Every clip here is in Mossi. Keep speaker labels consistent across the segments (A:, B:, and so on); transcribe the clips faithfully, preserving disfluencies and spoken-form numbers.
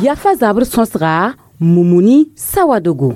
A: Yafa zabr sõsga Mumuni Sawadogo.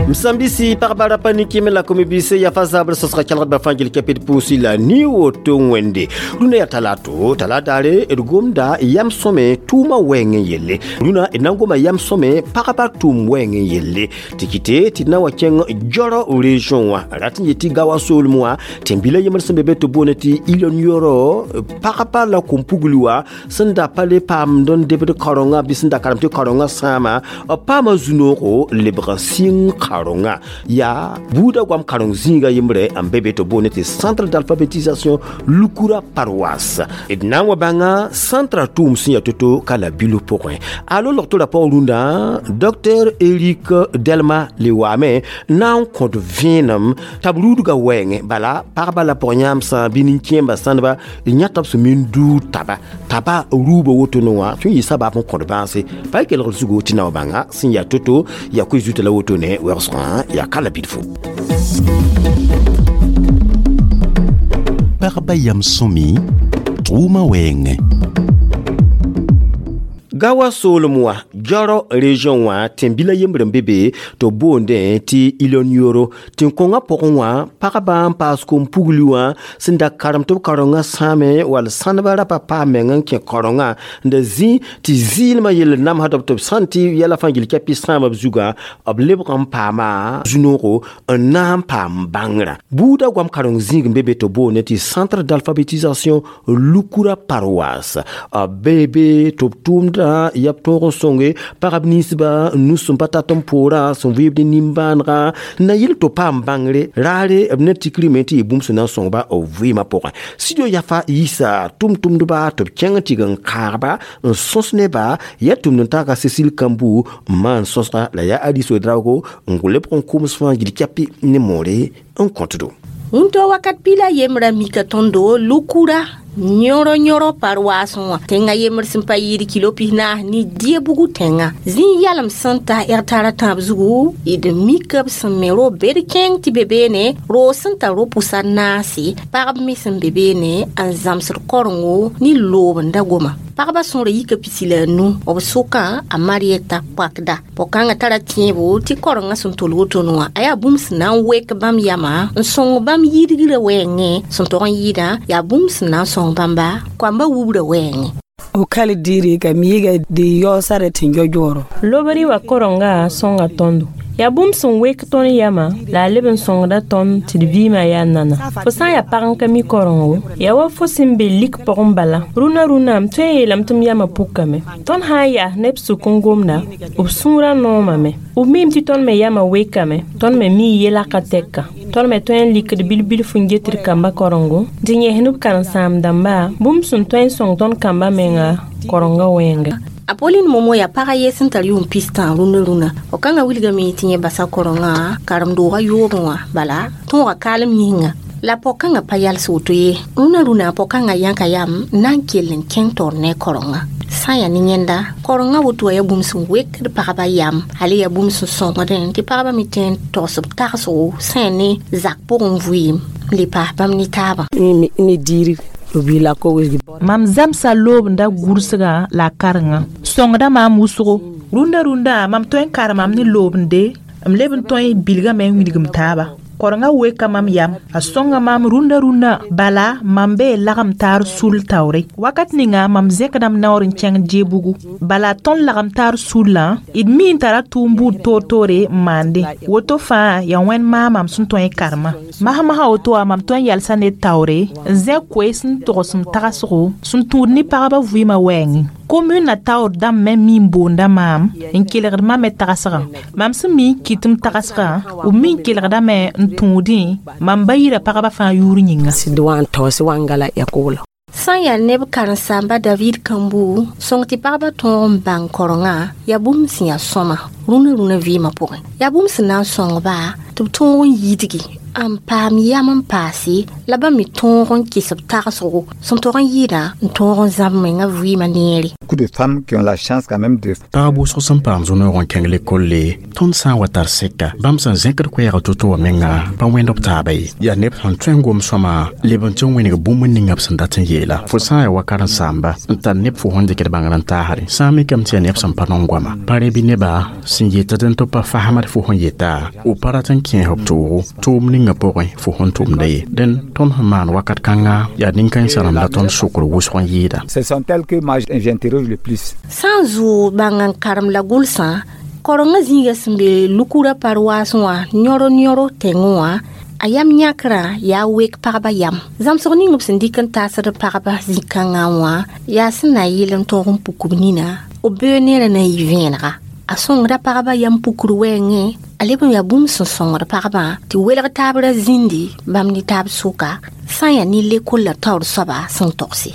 B: Msambisi pagba rapa ne la komibise yafa zabr sõsga kelgdbã fãa gil kɛpd pʋʋsi la ni woto wẽnde rũnã yaa talato talataare d gomda yam sõme tʋʋmã wɛɛng n yelle rũnã d na n goma yam sõme pagba tʋʋm wɛɛng n yelle tɩ kɩte tɩ d na wa kẽng Jɔrɔ région wã rat n yetɩ Gawa soolem wã tẽn-bila yembr sẽn be be tɩ boone tɩ Ilon Yɔrɔ pagba la kom-pugli wã sẽn da pa le paamd n debd kaorenga bɩ sẽn da karem tɩ kaorenga sãama b paama zu-noogo lebg n sɩng kaorenga yaa buudã goam kareng zĩiga yembre n be be tɩ boone tɩ centre d'alphabétisation Lukura paroisse d na n wa bãnga centre tʋʋm sẽn yaa to-to ka la bilo pʋgẽ alo log-tora paoog rũndã docteur Eric Delma le waame na n kõt vẽenem t'a b ruudga wɛɛngẽ bala pagba la pʋg-yãamsã bɩ nin-kẽembã sãndba d yãta b sẽn min duud taba taba ruubã wotone wã tõe n yɩ sabab n kõt bãase pa y kelgd zugo tɩ na wa bãnga sẽn yaa to-to yaa koe zuta la wotone wɛgsgã yaa ka la bidfo.
C: Pagba yam sõmi tʋʋmã wɛɛngẽ.
B: Gawa soolem wã Jɔrɔ région wã tẽn-bila yembr n be be tɩ b boondẽ tɩ Ilon Yoro tẽn-kõngã pʋgẽ wã pagba n paas kom-pugli wã sẽn da karem tɩ b kaorengã sãame wall sãndbã rapa paam meng n kẽ kaorengã n da zĩ tɩ zɩɩlmã yell namsd b tɩ b sãn tɩ yɛla fãa gil kɛpɩ sãama b zugã b lebg n paama zu-noogo n na n paam bãngrã buudã goam kareng zĩig n be be tɩ b boonde tɩ centre d'alphabétisation Lukura paroisse b bee be tɩ b tʋʋmda yaa b tõog n sõnge pagb ninsba nus sẽn pa tat n poorã sẽn vɩɩbd nimbãanega n na yɩl tɩ paam bãngre raare b ne tikrime tɩ yɩ bũmb sẽn na n sõngba b vɩɩmã pʋgẽ studio yafa yiisa tʋm-tʋmdba tɩ b kẽng n tɩg n kaagba n sõs neba yaa tʋmd n taaka Cécile Kambu n maan sõsga la yaa Alice Ouedraogo n lebg n koms fãa gil kɛpɩ ne moore n kõtdo.
D: Wũntɔ wakat pila yembrã mika tõndo Lukura yõro yõro paroisse wã tẽngã yembr sẽn pa yɩɩd kilo pis-naas ne die bugu tẽngã zĩig yalem sẽn ta hectar a tãab zugu d mika b sẽn me ro-bed kẽng tɩ be beene roog sẽn tar ro-pʋsa naase pagb me sẽn be beene n zãmsd korengo ne loob n da goma pagba sõora yika pisi la a nu b sʋkã a Marieta Poakda pʋg-kãngã tara tẽebo tɩ korengã sẽn tol wotone wã a yaa bũmb sẽn na n wek bãmb yamã n sõng bãmb yidgrã wɛɛngẽ sẽn tog n yɩɩdã yaa bũmb sẽn na n sõng bãmba koamba wubra wɛɛngẽ.
E: O kali diri ka miiga di yoosare tɩ yɔ-yɔɔrɔ.
F: Lobri wa korenga sõnga tõndo. Yaa bũmb sẽn wek tõnd yamã la a leb n sõngda tõnd tɩ d vɩɩmã yaa nana. Fo sã n yaa pag n ka mi korengo, yaa wa fo sẽn be lik pʋgẽ bala. Rũnã rũnã m tõe n yeelame tɩ m yamã pukame. Tõnd sã n yaas neb sʋk n gomda, b sũurã noomame. B miime tɩ tõnd me yamã wekame, tõnd me mii yelaka tɛka. Tõnd me tõe n likd bil-bilf n get d kamba korengo, tɩ yẽs b karen-sãam-dãmba bũmb sẽn tõe n sõng tõnd kambã menga korenga wɛɛnga.
D: Apolline Momo yaa pag a ye sẽn tar yʋʋm pistã rũnã rũnã f kãngã wilgame tɩ yẽ basa korenga karem-doogã yoobẽ wã bala tõoga kaalem yĩnga la pʋg-kãngã pa yals woto ye rũnã rũnã pʋg-kãngã yãka yam n na n kell n kẽng taoor ne korenga sã n yaa ne yẽnda korenga woto wã yaa bũmb sẽn wekd pagba yam hal yaa bũmb sẽn sõngdẽ tɩ pagba me tõe n togs b tagsgo sã n yaa ne zak pʋgẽ vɩɩm n le paas bãmb ne taabã.
E: Ne diiri
G: Mam zãmsa loobda gʋrsgã la a karengã sõngda maam wʋsgo rũndã rũndã mam tõe n karemame ne loobende m leb n tõe n bilgame n wilgm taaba korenga weka mam yam a sõnga maam rũndã rũndã bala mam bee lagem taar sul taoore wakat ninga mam zẽkdame naoor n kẽng Diebugu bala tõnd lagem taar sullã d mi n tara tʋʋm buud toor-toore n maande woto fãa yaa wẽnd maa mam sẽn tõe n karemã masmasã woto wã mam tõe n yalsa ned taoore n zẽk koees n togs m tagsgo sẽn tũud ne pagba vɩɩmã wɛɛngẽ commune na taoor dãmb me mi n boonda maam n kelgd mam me tagsgã mam sẽn mi n kɩt m tagsgã b mi n kelgdame n tũudẽ mam ba yira pagba fãa yʋʋr yĩnga.
D: Sã n yaa neb karen-saamba David Kambu sõng tɩ pagba tõog n bãng korenga yaa bũmb sẽn yaa sõma rũnã rũnã vɩɩmã pʋgẽ yaa bũmb sẽn na n sõngba tɩ b tõog n yidgi N paam yam n paase la bãmb me tõog n kɩs b tagsgo sẽn tog n yɩɩdã n tõog n zãb menga vɩɩmã neere.
H: Beaucoup de femmes qui ont la chance quand même de
I: Pagb wʋsg sẽn paam zu-noog n kẽng lekolle tõnd sã n wa tar sɛka bãmb sẽn zẽkd koɛɛg to-to wã menga pa wẽnd b taaba ye yaa neb sẽn tõe n gom sõma leb n tɩ n wẽneg bũmb ninga b sẽn dat n yeela fo sã n yaa wa karen-saamba n tar neb fo sẽn dɩkd bãngr n taasre sã n mikame tɩ yaa neb sẽn pa nong goama pa rẽ bɩ neba sẽn yetd n tɩ pa fasemd fo sẽn yeta b pa rat n kẽes b toogo tʋʋm ninga pʋgẽ fo sẽn tʋmda ye dẽn tõnd sẽn maan wakat kãnga yaa nin-kãensã rãmb la tõnd sokr wʋsg n yɩɩda.
H: Ce sont elles que moi j'interroge le plus.
D: Sã n zʋʋg bãng n karem la gʋlsã korengã zĩiga sẽn be lukura paroasẽ wã yõro yõro tẽngẽ wã a yam yãkrã yaa wek pagba yam zãmsg ning b sẽn dɩk n taasd pagba zĩ-kãngã wã yaa sẽn na yɩl n tõog n puk b nina b bee neerã na n yɩ vẽenega a sõngda pagba yam pukr wɛɛngẽ a leb n yaa bũmb sẽn sõngd pagba tɩ welg taab ra zĩndi bãmb ne taab sʋka sã n yaa ne lekol la taoor soaba sẽn togse.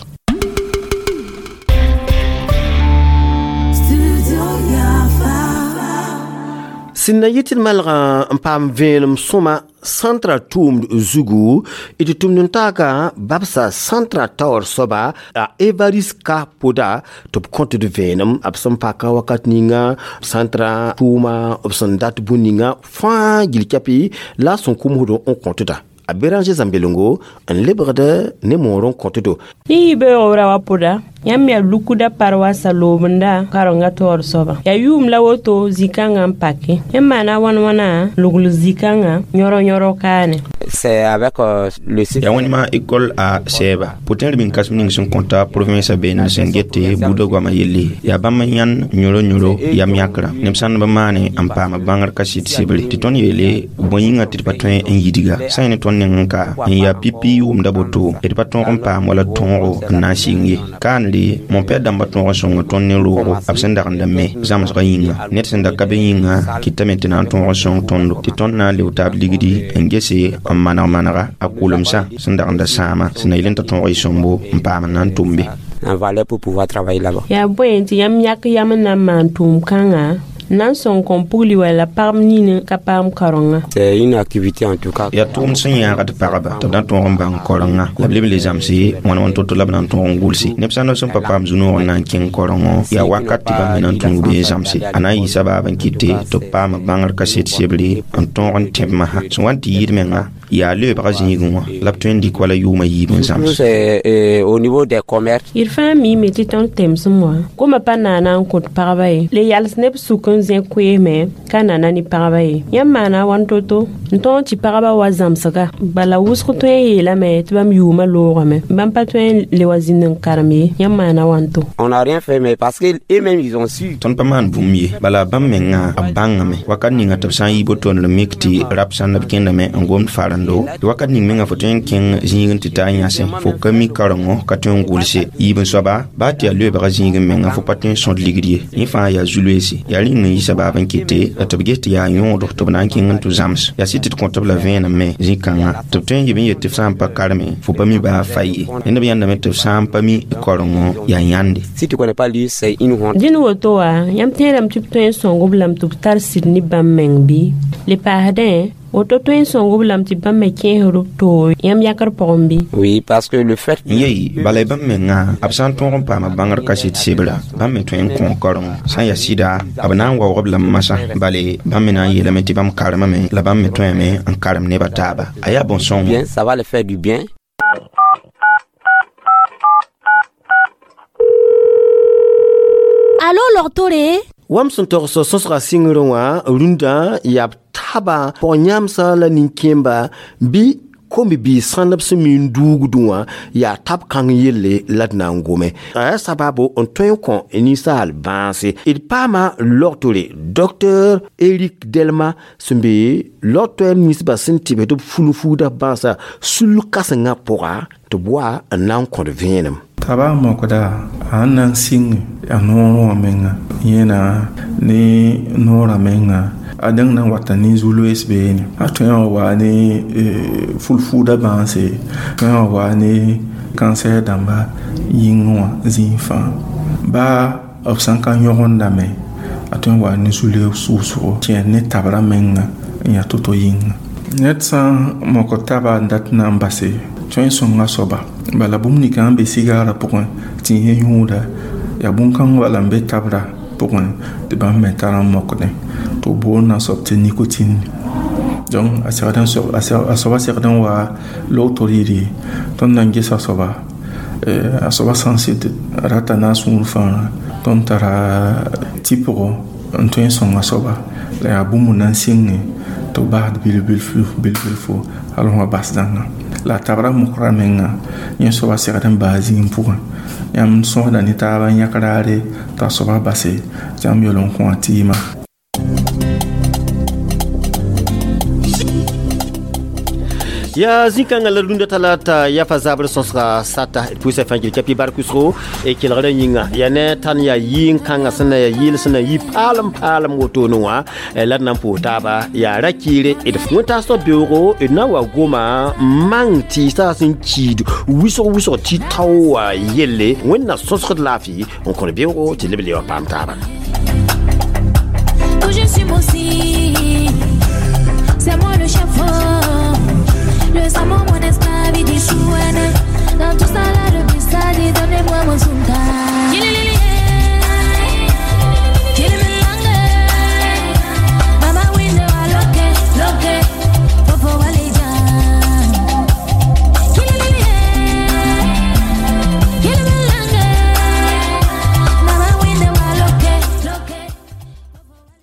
B: Sẽn na yɩ tɩ d malgã n paam vẽenem sõma sãntra tʋʋmd zugu d tʋmd n taaka babsa sãntra taoor soaba a Evaris ka poda tɩ b kõt d vẽenem b sẽn paka wakat ninga sãntra tʋʋma b sẽn dat bũn ninga fãa gil kɛpɩ la a sẽn kʋmsd n kõtda a Béranger Zãmbelengo n lebgd ne moor n kõtdo.
F: Ne yibeoog ra wa pʋda yãmb yaa lukuda paroasa loobenda karenga taoor soaba yaa yʋʋm la woto zĩ-kãngã n pake yãmb maana wãn-wãna logl zĩ-kãngã yõro-yõro kaane.
J: C'est avec euh, le
K: yaa wẽnema école a sɛɛba pʋtẽer bĩn kãsem ning sẽn kõta province beene sẽn gete buudã goamã yelle yaa bãmb n yãnd yõro-yõro yam yãkrã neb sãnd b maane n paam bãngr kaset sebre tɩ tõnd yeele bõe yĩnga tɩ d pa tõe n yidga sã n ne tõnd neng n ka n yaa pipi wʋmda boto d pa tõog n paam wala tõogo n na n sɩng ye kaanre mõ-pɛd dãmbã tõog n sõng tõnd ne roogo b sẽn dagenda me zãmsgã yĩnga ned sẽn da ka be yĩnga kɩtame tɩ na n tõog n sõng tõndo tɩ tõnd na n leb taab ligdi n gese n maneg manega a kʋlemsã sẽn dagenda sãama sẽn na yel n t'a tõog y sõmbo n paam n na n tʋm be.
J: En valeur pour pouvoir travailler là-bas.
F: Yaa bõe tɩ yãmb yãk yam n na n maan tʋʋm kãngã n na n sõng kõn pugli wala pagb nin ka paam karenga.
J: C'est une activité en tout cas.
K: Yaa tʋʋm sẽn yãagd pagba tɩ b na n tõog n bãng korenga la b leb n le zãmse wãn wãn to-to la b na n tõog n gʋlse neb sã n sẽn pa paam zu-noog n na n kẽng korengo yaa wakat tɩ bãmb me na n tũud be n zãmse a na n yɩ sabaab n kɩte tɩ b paam bãngr kaset sebre n tõog n tẽb masã sẽn wa n tɩ yɩɩd menga yaa leoobga zĩigẽ wã la b tõe n dɩk wala yʋʋmã yiib n zãms.
J: C'est au niveau des commerces.
F: D fãa miime tɩ tõnd temsem wã goma pa naana n kõt pagba ye le yals neb sʋk n zẽ koeeme ka nana ne pagba ye yãmb maana wãn to-to n tõog tɩ pagba wa zãmsga bala wʋsg tõe n yeelame tɩ bãmb yʋʋmã loogame bãmb pa tõe n le wa zĩnd n karem ye yãmb maana wãn to.
J: On n'a rien fait mais parce que eux-mêmes ils ont su.
K: Tõnd pa maan bũmb ye bala bãmb menga b bãngame wakat ninga tɩ b sã n yi botondr mik tɩ rap sãnd b kẽndame n gomd farando tɩ wakat ning menga fo tõe n kẽng zĩigẽ tɩ taa yãsẽ fo ka mi karengo ka tõe n gʋlse yiib n soaba baa tɩ yaa loeebga zĩigẽ menga fo pa tõe n sõd ligd ye yẽ fãa yaa zu-loeese yaa rĩng n yɩ sabaab n kɩte tɩ b ges tɩ yaa yõodo tɩ b na n kẽng n tɩ zãms yaa sɩd tɩ d kõt b la vẽenem me zĩ-kãngã tɩ b tõe n yɩb n yet tɩ f sã n pa kareme fo pa mi baa fa ye ned b yãndame tɩ f sã n pa mi korengo yaa yãnde.
J: Si tu connais pas lire, c'est une honte.
F: Dẽn woto wã yãmb tẽedame tɩ b tõe n sõng b lame tɩ b tar sɩd ne bãmb meng bɩ le paasdẽ woto tõe n sõng b lame tɩ bãmb me kẽesd b toog yãmb yãkr pʋgẽ bɩ.
J: Oui, parce que le fait
K: n yei bala bãmb menga b sã n tõog n paama bãngr kaset sebra bãmb me tõe n kõ karengo sã n yaa sɩda b na n waoog b lame masã bale bãmb me na n yeelame tɩ bãmb karemame la bãmb me tõeme n karem nebã taaba a yaa bõn-sõngo.
J: Bien, ça va le faire du bien.
D: Alo logtore
B: Wam sẽn togs sõsga sɩngrẽ wã rũndã yaa b taba pʋg-yãmsã la nin-kẽemba bɩ kom-biis sãnd b sẽn mi n duugdẽ wã yaa tab kãng yelle la d na n gome a yaa sabaabo n tõe n kõ ninsaal bãase d paama logtore docteur Eric Delma sẽn be logtoɛɛr ninsbã sẽn tɩbs tɩ b fulfuuda bãasa sul kãsengã pʋga tɩ b wa n na n kõd vẽenem.
L: Taba mokda a n na n sɩng a noorẽ wã menga yẽna ne noorã menga a dẽng na n wata ne zu-loees beene a tõe n wa ne fulfuuda bãase tõe n wa ne kansɛr dãmba yĩngẽ wã zĩig fãa baa b sã n ka yõgendame a tõe n wa ne zu-loees wʋsgo kẽer ne tabrã menga n yaa to-to yĩnga. Ned sã n mok taba n dat na n base tõe n sõnga soaba bala bũmb ninga n be sigaarã pʋgẽ tɩ yẽ yũuda yaa bũn-kãng bala n be tabra pʋgẽ tɩ bãmb me tar n mokdẽ tɩ b boond a soab tɩ nicotine. Donc a segd n a soaba segd n wa logto rɩɩre tõnd na n gesa soaba a soaba sã n sɩd rata na a sũur fãa tõnd tara tɩpgo n tõe n sõng a soaba la yaa bũmb na n sɩnge tɩ b basd bil-bilfu bil-bilfu hal fõ bas dãngã la a tabra mokra menga yẽ soaba segd n baa zĩig pʋgẽ yãmb sõsda ne taaba n yãk raare t'a soaba base tɩ yãmb yel n kõ a tɩɩmã.
B: Ya zĩ-kãngã la rũndã talata yafa zabr sõsga sata d pʋʋsa fãa gil kapi bark wʋsgo e kelgrã yĩnga yaa ne tãn yaa yɩɩn-kãngã sẽn na yaa yɩɩl sẽn na yi paalem paalem wotone wã la d na n pʋʋs taaba yaa ra kɩɩre d wẽntaasd beoogo d na n wa goma mang tɩɩsã sẽn kiid wʋsg wʋsg tɩ tao wã yelle wẽnd na sõsgd laafɩ n kõd beoogo tɩ leb le wã paam taaba.
M: Je suis